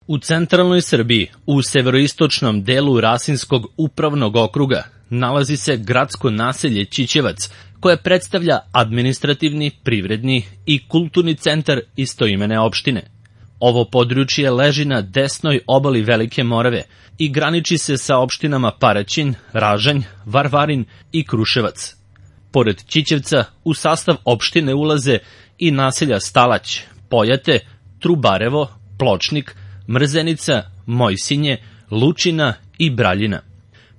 U centralnoj Srbiji, u severoistočnom delu Rasinskog upravnog okruga, nalazi se gradsko naselje Ćićevac, koje predstavlja administrativni, privredni i kulturni centar istoimene opštine. Ovo područje leži na desnoj obali Velike Morave i graniči se sa opštinama Paraćin, Ražanj, Varvarin i Kruševac. Pored Ćićevca, u sastav opštine ulaze i naselja Stalać, Pojate, Trubarevo, Pločnik, Mrzenica, Mojsinje, Lučina i Braljina.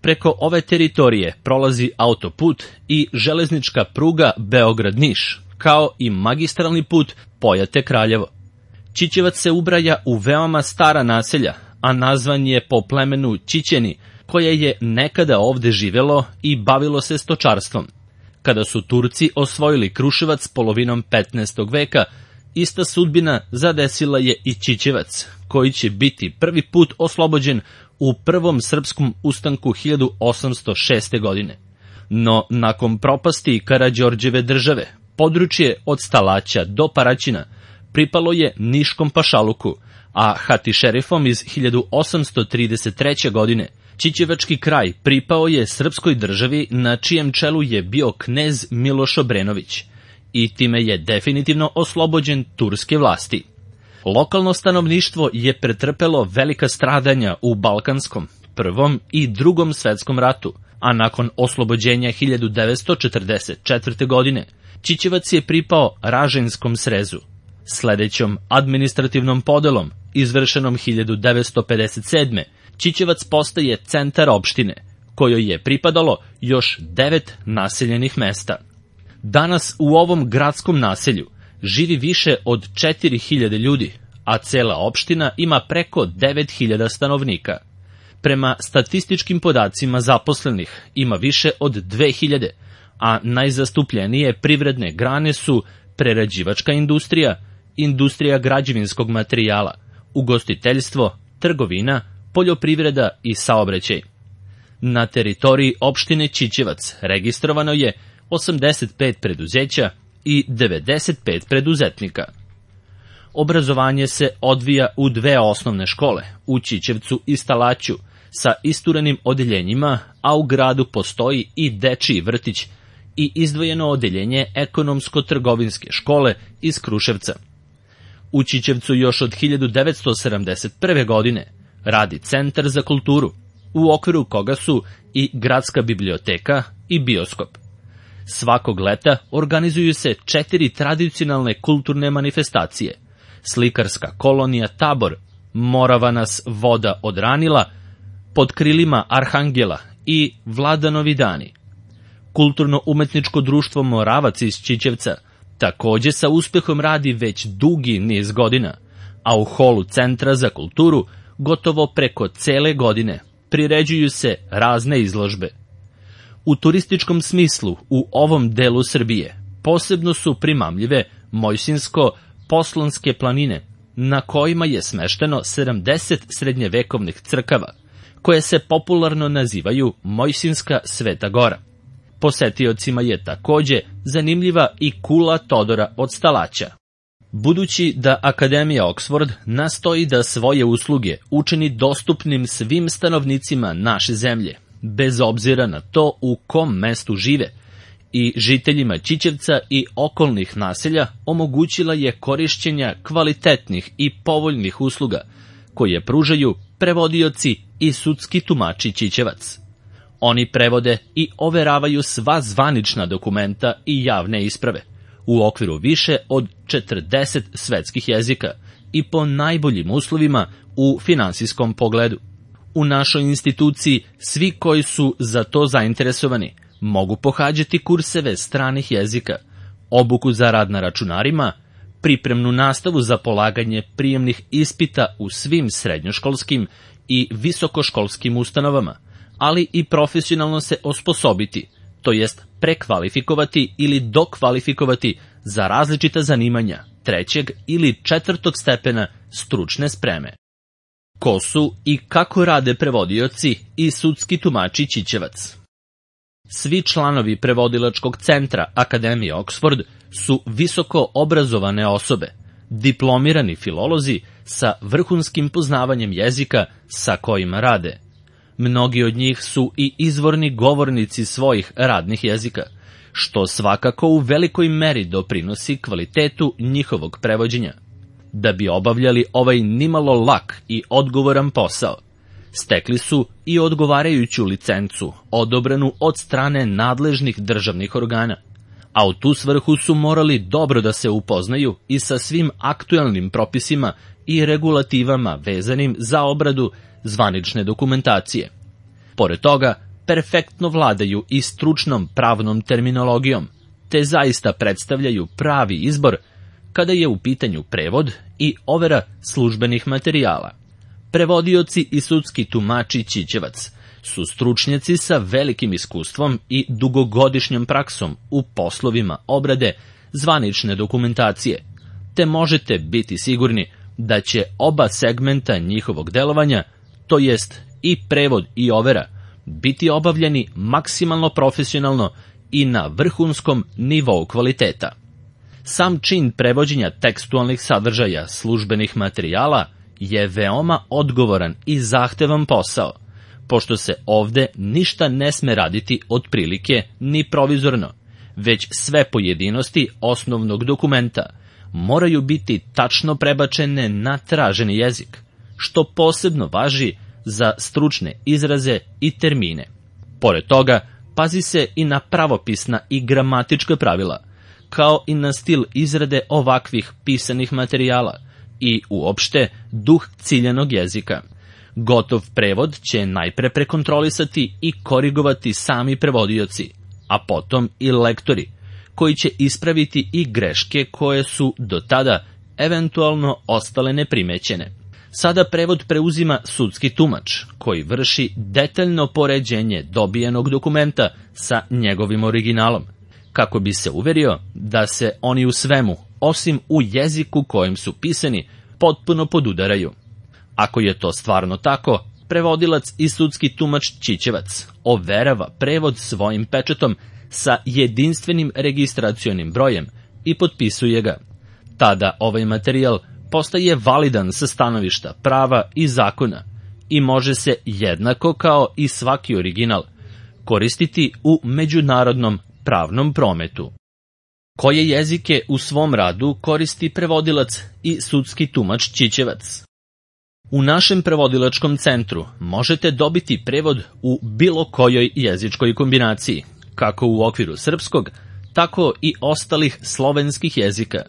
Preko ove teritorije prolazi autoput i železnička pruga Beograd-Niš, kao i magistralni put Pojate-Kraljevo. Ćićevac se ubraja u veoma stara naselja, a nazvan je po plemenu Ćićeni, koje je nekada ovde živelo i bavilo se stočarstvom. Kada su Turci osvojili Kruševac polovinom 15. veka, ista sudbina zadesila je i Ćićevac, koji će biti prvi put oslobođen u prvom srpskom ustanku 1806. godine. No, nakon propasti Karađorđeve države, područje od Stalaća do Paraćina pripalo je Niškom pašaluku, a hatišerifom iz 1833. godine Ćićevački kraj pripao je srpskoj državi na čijem čelu je bio knez Miloš Obrenović i time je definitivno oslobođen turske vlasti. Lokalno stanovništvo je pretrpelo velika stradanja u Balkanskom, Prvom i Drugom svetskom ratu, a nakon oslobođenja 1944. godine Ćićevac je pripao Ražanjskom srezu. Sledećom administrativnom podelom, izvršenom 1957. Ćićevac postaje centar opštine, kojoj je pripadalo još 9 naseljenih mesta. Danas u ovom gradskom naselju živi više od 4000 ljudi, a cela opština ima preko 9000 stanovnika. Prema statističkim podacima zaposlenih ima više od 2000, a najzastupljenije privredne grane su prerađivačka industrija, industrija građevinskog materijala, ugostiteljstvo, trgovina, poljoprivreda i saobraćaj. Na teritoriji opštine Ćićevac registrovano je 85 preduzeća i 95 preduzetnika. Obrazovanje se odvija u 2 osnovne škole, u Ćićevcu i Stalaću, sa isturenim odeljenjima, a u gradu postoji i dečiji vrtić i izdvojeno odeljenje ekonomsko-trgovinske škole iz Kruševca. U Ćićevcu još od 1971. godine radi Centar za kulturu, u okviru koga su i gradska biblioteka i bioskop. Svakog leta organizuju se 4 tradicionalne kulturne manifestacije: slikarska kolonija Tabor, Morava nas voda odranila, Pod krilima Arhangela i Vladanovi dani. Kulturno-umetničko društvo Moravac iz Ćićevca takođe sa uspehom radi već dugi niz godina, a u holu Centra za kulturu gotovo preko cele godine priređuju se razne izložbe. U turističkom smislu u ovom delu Srbije posebno su primamljive Mojsinsko-Poslonske planine, na kojima je smešteno 70 srednjevekovnih crkava, koje se popularno nazivaju Mojsinska Sveta Gora. Posetiocima je takođe zanimljiva i kula Todora od Stalaća. Budući da Akademija Oxford nastoji da svoje usluge učini dostupnim svim stanovnicima naše zemlje, bez obzira na to u kom mestu žive, i žiteljima Ćićevca i okolnih naselja omogućila je korišćenja kvalitetnih i povoljnih usluga, koje pružaju prevodioci i sudski tumači Ćićevac. Oni prevode i overavaju sva zvanična dokumenta i javne isprave, u okviru više od 40 svetskih jezika i po najboljim uslovima u finansijskom pogledu. U našoj instituciji svi koji su za to zainteresovani mogu pohađati kurseve stranih jezika, obuku za rad na računarima, pripremnu nastavu za polaganje prijemnih ispita u svim srednjoškolskim i visokoškolskim ustanovama, ali i profesionalno se osposobiti, to jest prekvalifikovati ili dokvalifikovati za različita zanimanja 3. ili 4. stepena stručne spreme. Ko su i kako rade prevodioci i sudski tumači Ćićevac? Svi članovi prevodilačkog centra Akademije Oxford su visoko obrazovane osobe, diplomirani filolozi sa vrhunskim poznavanjem jezika sa kojima rade. Mnogi od njih su i izvorni govornici svojih radnih jezika, što svakako u velikoj meri doprinosi kvalitetu njihovog prevođenja. Da bi obavljali ovaj nimalo lak i odgovoran posao, stekli su i odgovarajuću licencu, odobrenu od strane nadležnih državnih organa, a u tu svrhu su morali dobro da se upoznaju i sa svim aktuelnim propisima i regulativama vezanim za obradu zvanične dokumentacije. Pored toga, perfektno vladaju i stručnom pravnom terminologijom, te zaista predstavljaju pravi izbor kada je u pitanju prevod i overa službenih materijala. Prevodioci i sudski tumači Ćićevac su stručnjaci sa velikim iskustvom i dugogodišnjom praksom u poslovima obrade zvanične dokumentacije, te možete biti sigurni da će oba segmenta njihovog delovanja, to jest i prevod i overa, biti obavljeni maksimalno profesionalno i na vrhunskom nivou kvaliteta. Sam čin prevođenja tekstualnih sadržaja službenih materijala je veoma odgovoran i zahtevan posao, pošto se ovde ništa ne sme raditi otprilike ni provizorno, već sve pojedinosti osnovnog dokumenta moraju biti tačno prebačene na traženi jezik, što posebno važi za stručne izraze i termine. Pored toga, pazi se i na pravopisna i gramatička pravila, kao i na stil izrade ovakvih pisanih materijala i uopšte duh ciljanog jezika. Gotov prevod će najpre prekontrolisati i korigovati sami prevodioci, a potom i lektori, koji će ispraviti i greške koje su do tada eventualno ostale neprimećene. Sada prevod preuzima sudski tumač, koji vrši detaljno poređenje dobijenog dokumenta sa njegovim originalom, kako bi se uverio da se oni u svemu, osim u jeziku kojim su pisani, potpuno podudaraju. Ako je to stvarno tako, prevodilac i sudski tumač Ćićevac overava prevod svojim pečatom sa jedinstvenim registracionim brojem i potpisuje ga. Tada ovaj materijal postaje validan sa stanovišta prava i zakona i može se jednako kao i svaki original koristiti u međunarodnom pravnom prometu. Koje jezike u svom radu koristi prevodilac i sudski tumač Ćićevac? U našem prevodilačkom centru možete dobiti prevod u bilo kojoj jezičkoj kombinaciji, kako u okviru srpskog, tako i ostalih slovenskih jezika,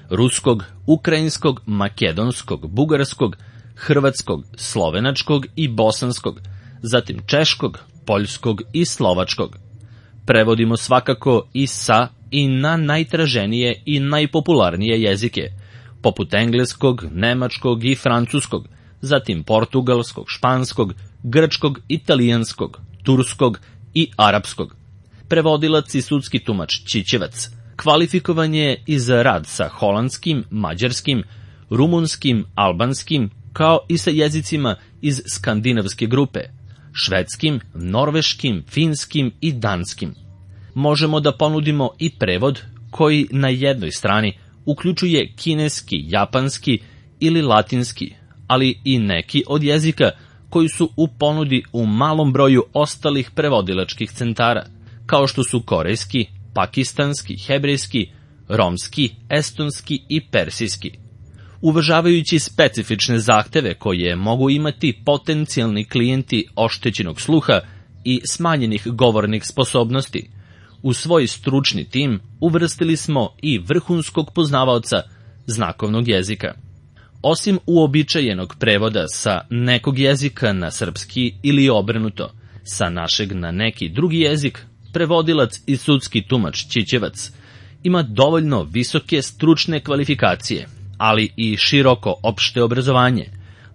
ruskog, ukrajinskog, makedonskog, bugarskog, hrvatskog, slovenačkog i bosanskog, zatim češkog, poljskog i slovačkog. Prevodimo svakako i sa i na najtraženije i najpopularnije jezike, poput engleskog, nemačkog i francuskog, zatim portugalskog, španskog, grčkog, italijanskog, turskog i arapskog. Prevodilac i sudski tumač Ćićevac kvalifikovan je i za rad sa holandskim, mađarskim, rumunskim, albanskim, kao i sa jezicima iz skandinavske grupe, švedskim, norveškim, finskim i danskim. Možemo da ponudimo i prevod koji na jednoj strani uključuje kineski, japanski ili latinski, ali i neki od jezika koji su u ponudi u malom broju ostalih prevodilačkih centara, kao što su korejski, pakistanski, hebrejski, romski, estonski i persijski. Uvažavajući specifične zahteve koje mogu imati potencijalni klijenti oštećenog sluha i smanjenih govornih sposobnosti, u svoj stručni tim uvrstili smo i vrhunskog poznavaoca znakovnog jezika. Osim uobičajenog prevoda sa nekog jezika na srpski ili obrnuto, sa našeg na neki drugi jezik, prevodilac i sudski tumač Ćićevac ima dovoljno visoke stručne kvalifikacije, ali i široko opšte obrazovanje,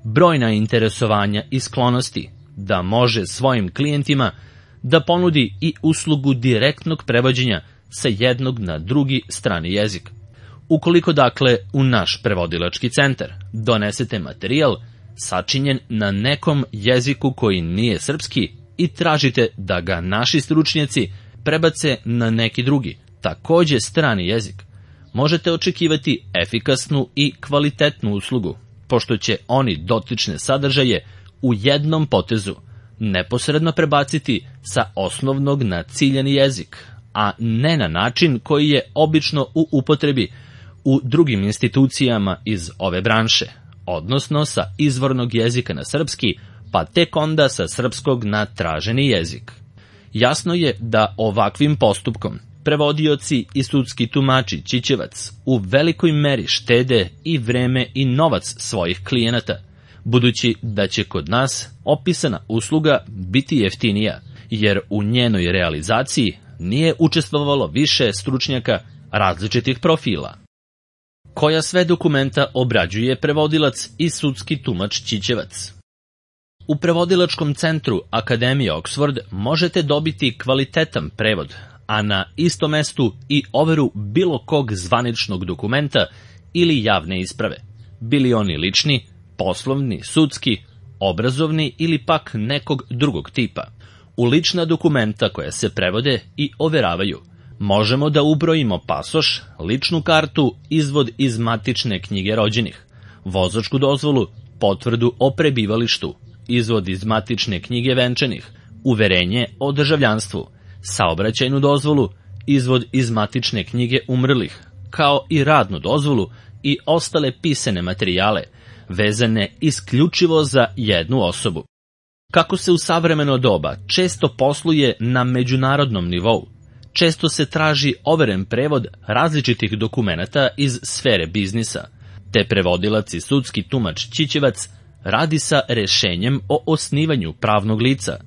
brojna interesovanja i sklonosti, da može svojim klijentima da ponudi i uslugu direktnog prevođenja sa jednog na drugi strani jezik. Ukoliko dakle u naš prevodilački centar donesete materijal sačinjen na nekom jeziku koji nije srpski i tražite da ga naši stručnjaci prebace na neki drugi, takođe strani jezik, možete očekivati efikasnu i kvalitetnu uslugu, pošto će oni dotične sadržaje u jednom potezu neposredno prebaciti sa osnovnog na ciljani jezik, a ne na način koji je obično u upotrebi u drugim institucijama iz ove branše, odnosno sa izvornog jezika na srpski, pa tek onda sa srpskog na traženi jezik. Jasno je da ovakvim postupkom prevodioci i sudski tumači Čičevac u velikoj meri štede i vreme i novac svojih klijenata, budući da će kod nas opisana usluga biti jeftinija, jer u njenoj realizaciji nije učestvovalo više stručnjaka različitih profila. Koja sve dokumenta obrađuje prevodilac i sudski tumač Čičevac? U prevodilačkom centru Akademije Oxford možete dobiti kvalitetan prevod, a na istom mestu i overu bilo kog zvaničnog dokumenta ili javne isprave, bili oni lični, poslovni, sudski, obrazovni ili pak nekog drugog tipa. U lična dokumenta koja se prevode i overavaju možemo da ubrojimo pasoš, ličnu kartu, izvod iz matične knjige rođenih, vozačku dozvolu, potvrdu o prebivalištu, izvod iz matične knjige venčanih, uverenje o državljanstvu, saobraćajnu dozvolu, izvod iz matične knjige umrlih, kao i radnu dozvolu i ostale pisane materijale, vezane isključivo za jednu osobu. Kako se u savremeno doba često posluje na međunarodnom nivou, često se traži overen prevod različitih dokumenata iz sfere biznisa, te prevodilac i sudski tumač Čičevac radi sa rešenjem o osnivanju pravnog lica,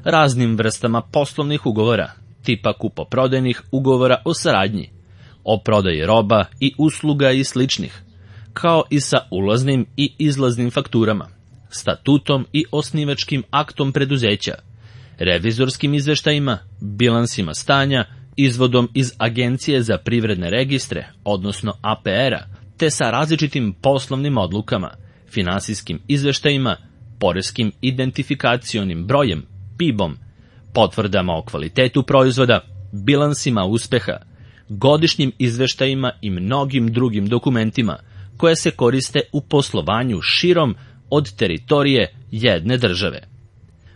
raznim vrstama poslovnih ugovora, tipa kupoprodajnih ugovora o saradnji, o prodaji roba i usluga i sličnih, kao i sa ulaznim i izlaznim fakturama, statutom i osnivačkim aktom preduzeća, revizorskim izveštajima, bilansima stanja, izvodom iz Agencije za privredne registre, odnosno APR-a, te sa različitim poslovnim odlukama, finansijskim izveštajima, poreskim identifikacionim brojem, PIB-om, potvrdama o kvalitetu proizvoda, bilansima uspeha, godišnjim izveštajima i mnogim drugim dokumentima koje se koriste u poslovanju širom od teritorije jedne države.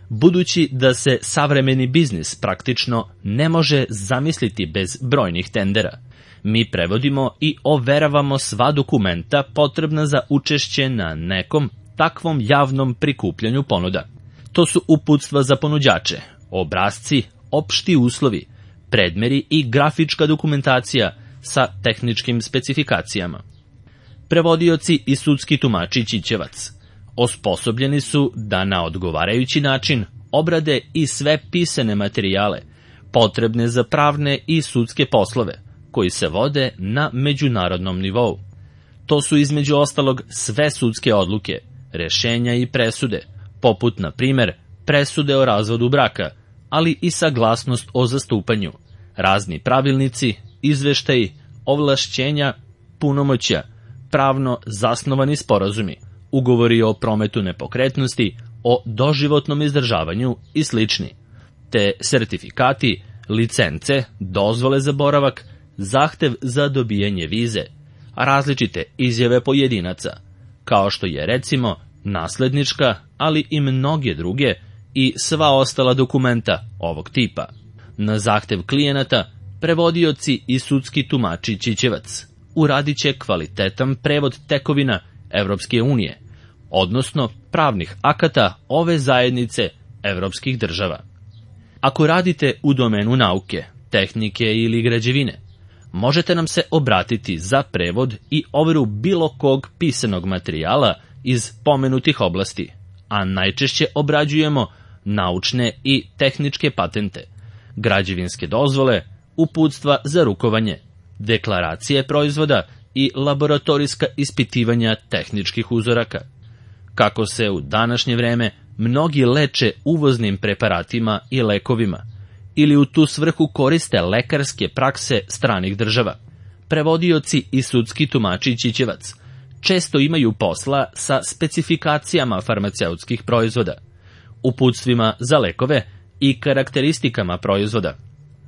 Budući da se savremeni biznis praktično ne može zamisliti bez brojnih tendera, mi prevodimo i overavamo sva dokumenta potrebna za učešće na nekom takvom javnom prikupljanju ponuda. To su uputstva za ponuđače, obrasci, opšti uslovi, predmeri i grafička dokumentacija sa tehničkim specifikacijama. Prevodioci i sudski tumači Čičevac osposobljeni su da na odgovarajući način obrade i sve pisane materijale potrebne za pravne i sudske poslove koji se vode na međunarodnom nivou. To su između ostalog sve sudske odluke, rešenja i presude, poput na primer presude o razvodu braka, ali i saglasnost o zastupanju, razni pravilnici, izveštaji, ovlašćenja, punomoćja, pravno zasnovani sporazumi, ugovori o prometu nepokretnosti, o doživotnom izdržavanju i slični, te sertifikati, licence, dozvole za boravak, zahtev za dobijanje vize, različite izjave pojedinaca, kao što je recimo naslednička, ali i mnoge druge i sva ostala dokumenta ovog tipa. Na zahtev klijenata, prevodioci i sudski tumači Čičevac uradit će kvalitetan prevod tekovina Evropske unije, odnosno pravnih akata ove zajednice evropskih država. Ako radite u domenu nauke, tehnike ili građevine, možete nam se obratiti za prevod i overu bilo kog pisanog materijala iz pomenutih oblasti, a najčešće obrađujemo naučne i tehničke patente, građevinske dozvole, uputstva za rukovanje, deklaracije proizvoda i laboratorijska ispitivanja tehničkih uzoraka. Kako se u današnje vreme mnogi leče uvoznim preparatima i lekovima, ili u tu svrhu koriste lekarske prakse stranih država, prevodioci i sudski tumači Čičevac često imaju posla sa specifikacijama farmaceutskih proizvoda, uputstvima za lekove i karakteristikama proizvoda,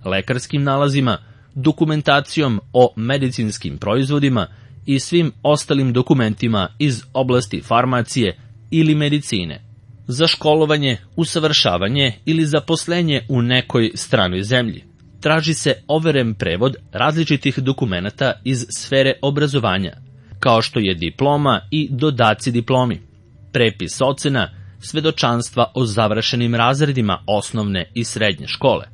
lekarskim nalazima, dokumentacijom o medicinskim proizvodima i svim ostalim dokumentima iz oblasti farmacije ili medicine, za školovanje, usavršavanje ili zaposlenje u nekoj stranoj zemlji. Traži se overen prevod različitih dokumenata iz sfere obrazovanja, kao što je diploma i dodaci diplomi, prepis ocena, svedočanstva o završenim razredima osnovne i srednje škole,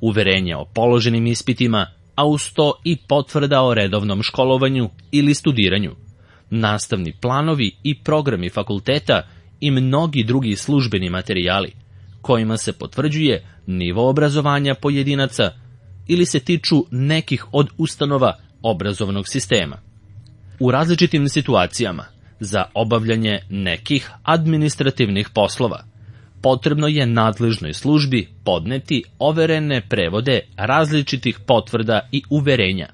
uverenje o položenim ispitima, a uz to i potvrda o redovnom školovanju ili studiranju, nastavni planovi i programi fakulteta i mnogi drugi službeni materijali, kojima se potvrđuje nivo obrazovanja pojedinaca ili se tiču nekih od ustanova obrazovnog sistema. U različitim situacijama, za obavljanje nekih administrativnih poslova, potrebno je nadležnoj službi podneti overene prevode različitih potvrda i uverenja,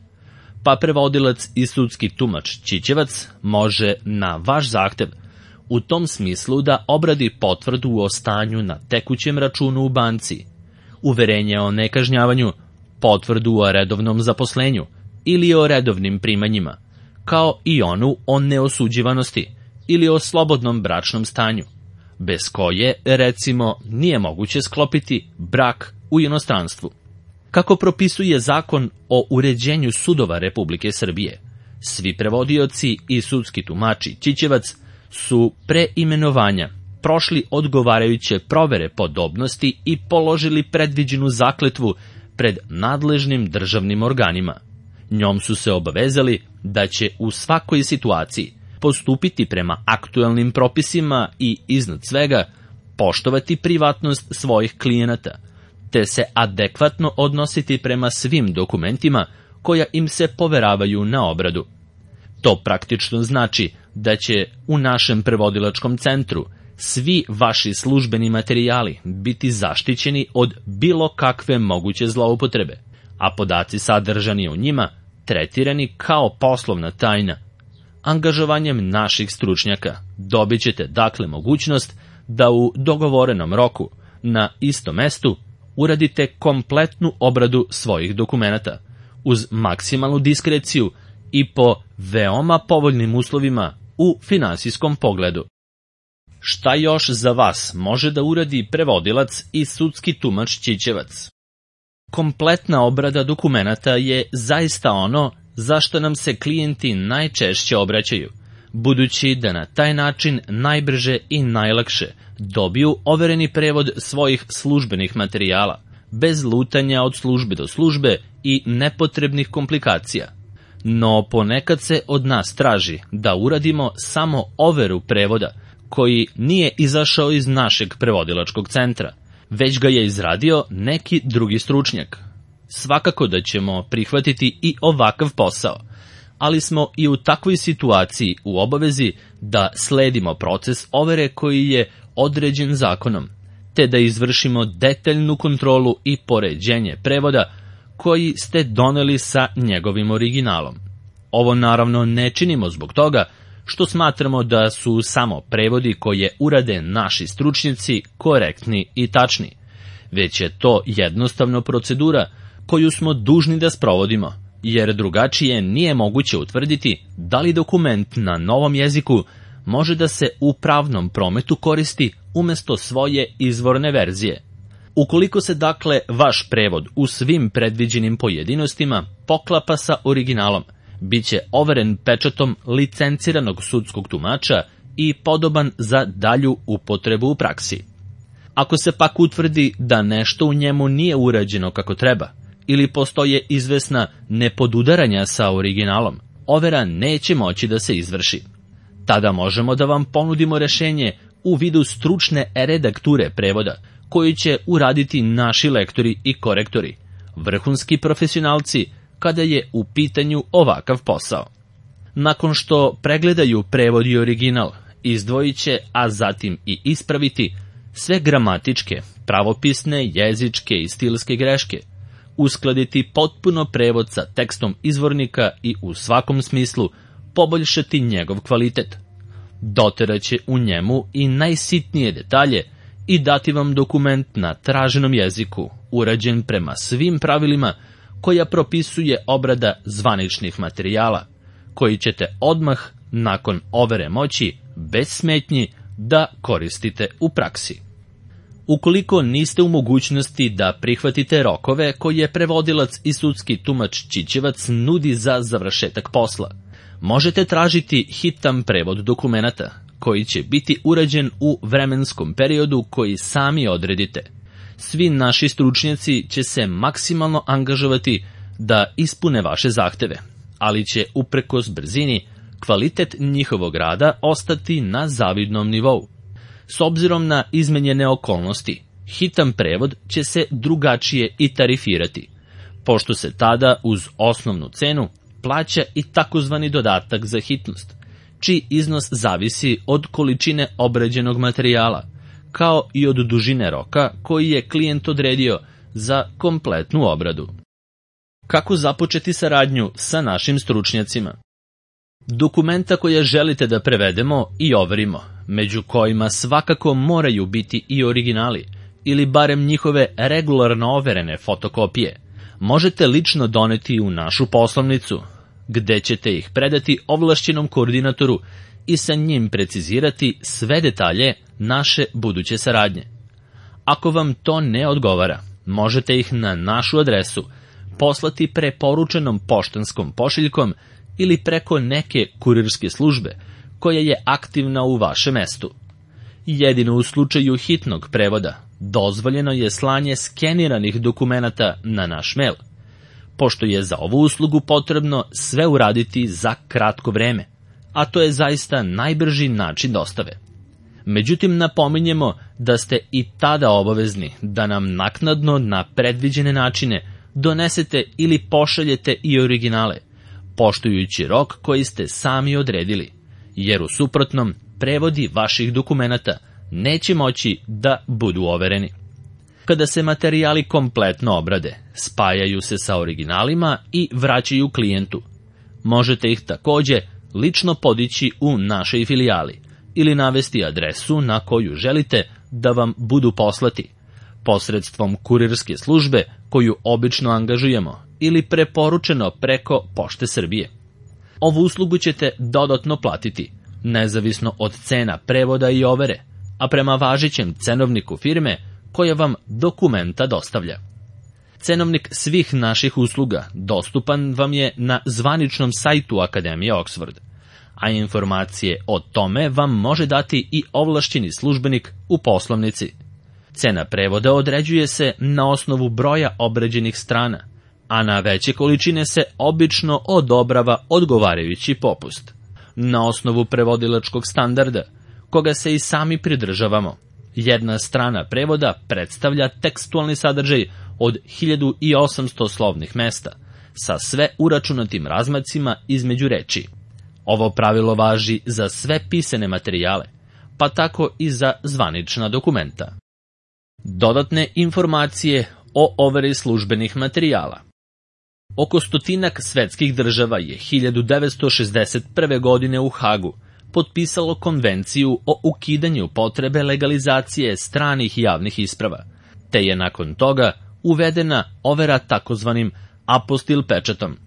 pa prevodilac i sudski tumač Čičevac može na vaš zahtev u tom smislu da obradi potvrdu o stanju na tekućem računu u banci, uverenje o nekažnjavanju, potvrdu o redovnom zaposlenju ili o redovnim primanjima, kao i onu o neosuđivanosti ili o slobodnom bračnom stanju, bez koje, recimo, nije moguće sklopiti brak u inostranstvu. Kako propisuje Zakon o uređenju sudova Republike Srbije, svi prevodioci i sudski tumači Čičevac su pre imenovanja prošli odgovarajuće provere podobnosti i položili predviđenu zakletvu pred nadležnim državnim organima. Njom su se obavezali da će u svakoj situaciji postupiti prema aktuelnim propisima i, iznad svega, poštovati privatnost svojih klijenata, te se adekvatno odnositi prema svim dokumentima koja im se poveravaju na obradu. To praktično znači da će u našem prevodilačkom centru svi vaši službeni materijali biti zaštićeni od bilo kakve moguće zloupotrebe, a podaci sadržani u njima tretirani kao poslovna tajna. Angažovanjem naših stručnjaka dobit ćete dakle mogućnost da u dogovorenom roku na istom mestu uradite kompletnu obradu svojih dokumenata uz maksimalnu diskreciju i po veoma povoljnim uslovima u finansijskom pogledu. Šta još za vas može da uradi prevodilac i sudski tumač Čičevac? Kompletna obrada dokumenata je zaista ono zašto nam se klijenti najčešće obraćaju, budući da na taj način najbrže i najlakše dobiju overeni prevod svojih službenih materijala, bez lutanja od službe do službe i nepotrebnih komplikacija. No ponekad se od nas traži da uradimo samo overu prevoda, koji nije izašao iz našeg prevodilačkog centra, već ga je izradio neki drugi stručnjak. Svakako da ćemo prihvatiti i ovakav posao, ali smo i u takvoj situaciji u obavezi da sledimo proces overe koji je određen zakonom, te da izvršimo detaljnu kontrolu i poređenje prevoda koji ste doneli sa njegovim originalom. Ovo naravno ne činimo zbog toga što smatramo da su samo prevodi koje urade naši stručnjaci korektni i tačni, već je to jednostavno procedura koju smo dužni da sprovodimo, jer drugačije nije moguće utvrditi da li dokument na novom jeziku može da se u pravnom prometu koristi umesto svoje izvorne verzije. Ukoliko se dakle vaš prevod u svim predviđenim pojedinostima poklapa sa originalom, bit će overen pečatom licenciranog sudskog tumača i podoban za dalju upotrebu u praksi. Ako se pak utvrdi da nešto u njemu nije urađeno kako treba, ili postoje izvesna nepodudaranja sa originalom, overa neće moći da se izvrši. Tada možemo da vam ponudimo rešenje u vidu stručne redakture prevoda, koju će uraditi naši lektori i korektori, vrhunski profesionalci, kada je u pitanju ovakav posao. Nakon što pregledaju prevod i original, izdvojit će, a zatim i ispraviti sve gramatičke, pravopisne, jezičke i stilske greške, uskladiti potpuno prevod sa tekstom izvornika i u svakom smislu poboljšati njegov kvalitet. Doteraće u njemu i najsitnije detalje i dati vam dokument na traženom jeziku, urađen prema svim pravilima koja propisuje obrada zvaničnih materijala, koji ćete odmah, nakon overe moći, bez smetnji, da koristite u praksi. Ukoliko niste u mogućnosti da prihvatite rokove koje prevodilac i sudski tumač Čičevac nudi za završetak posla, možete tražiti hitan prevod dokumenata, koji će biti urađen u vremenskom periodu koji sami odredite. Svi naši stručnjaci će se maksimalno angažovati da ispune vaše zahteve, ali će uprkos brzini kvalitet njihovog rada ostati na zavidnom nivou. S obzirom na izmenjene okolnosti, hitan prevod će se drugačije i tarifirati, pošto se tada uz osnovnu cenu plaća i takozvani dodatak za hitnost, čiji iznos zavisi od količine obrađenog materijala, kao i od dužine roka koji je klijent odredio za kompletnu obradu. Kako započeti saradnju sa našim stručnjacima? Dokumenta koje želite da prevedemo i overimo, među kojima svakako moraju biti i originali, ili barem njihove regularno overene fotokopije, možete lično doneti u našu poslovnicu, gde ćete ih predati ovlašćenom koordinatoru i sa njim precizirati sve detalje naše buduće saradnje. Ako vam to ne odgovara, možete ih na našu adresu poslati preporučenom poštanskom pošiljkom ili preko neke kurirske službe koja je aktivna u vašem mestu. Jedino u slučaju hitnog prevoda dozvoljeno je slanje skeniranih dokumenata na naš mail, pošto je za ovu uslugu potrebno sve uraditi za kratko vreme, a to je zaista najbrži način dostave. Međutim, napominjemo da ste i tada obavezni da nam naknadno na predviđene načine donesete ili pošaljete i originale, poštujući rok koji ste sami odredili, jer u suprotnom prevodi vaših dokumenata neće moći da budu overeni. Kada se materijali kompletno obrade, spajaju se sa originalima i vraćaju klijentu. Možete ih takođe lično podići u našoj filijali ili navesti adresu na koju želite da vam budu poslati, posredstvom kurirske službe koju obično angažujemo ili preporučeno preko Pošte Srbije. Ovu uslugu ćete dodatno platiti, nezavisno od cena prevoda i overe, a prema važećem cenovniku firme koja vam dokumenta dostavlja. Cenovnik svih naših usluga dostupan vam je na zvaničnom sajtu Akademije Oxford, a informacije o tome vam može dati i ovlašćeni službenik u poslovnici. Cena prevoda određuje se na osnovu broja obrađenih strana, a na veće količine se obično odobrava odgovarajući popust. Na osnovu prevodilačkog standarda, koga se i sami pridržavamo, jedna strana prevoda predstavlja tekstualni sadržaj od 1800 slovnih mesta, sa sve uračunatim razmacima između reči. Ovo pravilo važi za sve pisane materijale, pa tako i za zvanična dokumenta. Dodatne informacije o overi službenih materijala. Oko 100 svetskih država je 1961. godine u Hagu potpisalo konvenciju o ukidanju potrebe legalizacije stranih javnih isprava, te je nakon toga uvedena overa takozvanim apostil pečatom.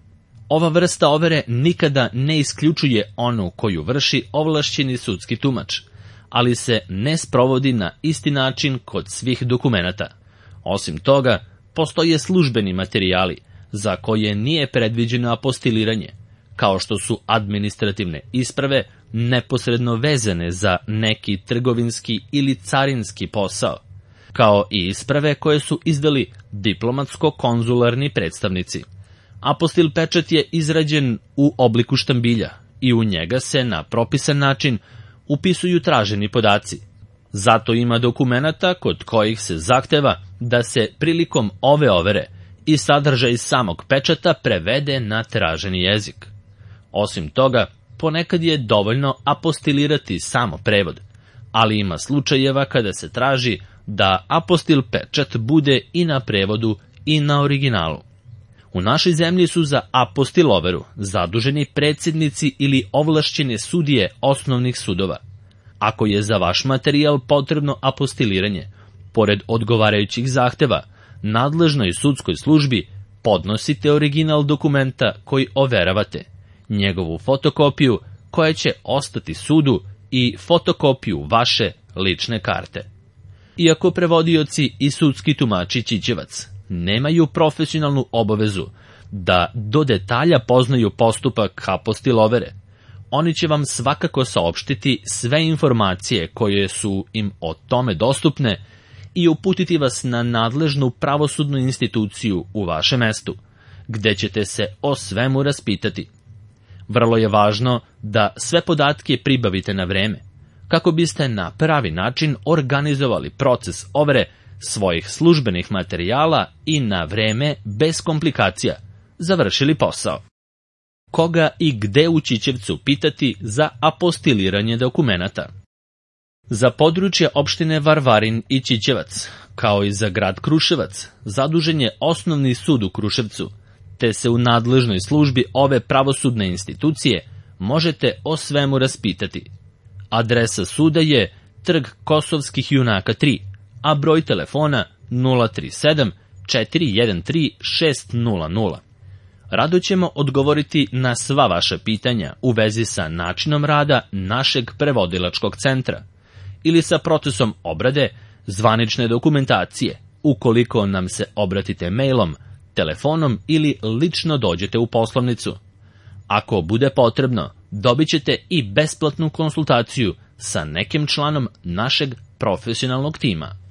Ova vrsta overe nikada ne isključuje onu koju vrši ovlašćeni sudski tumač, ali se ne sprovodi na isti način kod svih dokumenata. Osim toga, postoje službeni materijali za koje nije predviđeno apostiliranje, kao što su administrativne isprave neposredno vezane za neki trgovinski ili carinski posao, kao i isprave koje su izdali diplomatsko-konzularni predstavnici. Apostil pečat je izrađen u obliku štambilja i u njega se na propisan način upisuju traženi podaci. Zato ima dokumenata kod kojih se zahteva da se prilikom ove overe i sadržaj samog pečata prevede na traženi jezik. Osim toga, ponekad je dovoljno apostilirati samo prevod, ali ima slučajeva kada se traži da apostil pečat bude i na prevodu i na originalu. U našoj zemlji su za apostil overu zaduženi predsjednici ili ovlašćene sudije osnovnih sudova. Ako je za vaš materijal potrebno apostiliranje, pored odgovarajućih zahteva, nadležnoj sudskoj službi podnosite original dokumenta koji overavate, njegovu fotokopiju koja će ostati sudu i fotokopiju vaše lične karte. Iako prevodioci i sudski tumači Ćićevac nemaju profesionalnu obavezu da do detalja poznaju postupak apostille overe, oni će vam svakako saopštiti sve informacije koje su im o tome dostupne i uputiti vas na nadležnu pravosudnu instituciju u vašem mestu, gde ćete se o svemu raspitati. Vrlo je važno da sve podatke pribavite na vreme, kako biste na pravi način organizovali proces overe svojih službenih materijala i na vreme, bez komplikacija, završili posao. Koga i gde u Ćićevcu pitati za apostiliranje dokumenata? Za područje opštine Varvarin i Ćićevac, kao i za grad Kruševac, zadužen je Osnovni sud u Kruševcu, te se u nadležnoj službi ove pravosudne institucije možete o svemu raspitati. Adresa suda je Trg Kosovskih junaka 3, a broj telefona 037 413 600. Rado ćemo odgovoriti na sva vaša pitanja u vezi sa načinom rada našeg prevodilačkog centra ili sa procesom obrade zvanične dokumentacije, ukoliko nam se obratite mailom, telefonom ili lično dođete u poslovnicu. Ako bude potrebno, dobit ćete i besplatnu konsultaciju sa nekim članom našeg profesionalnog tima.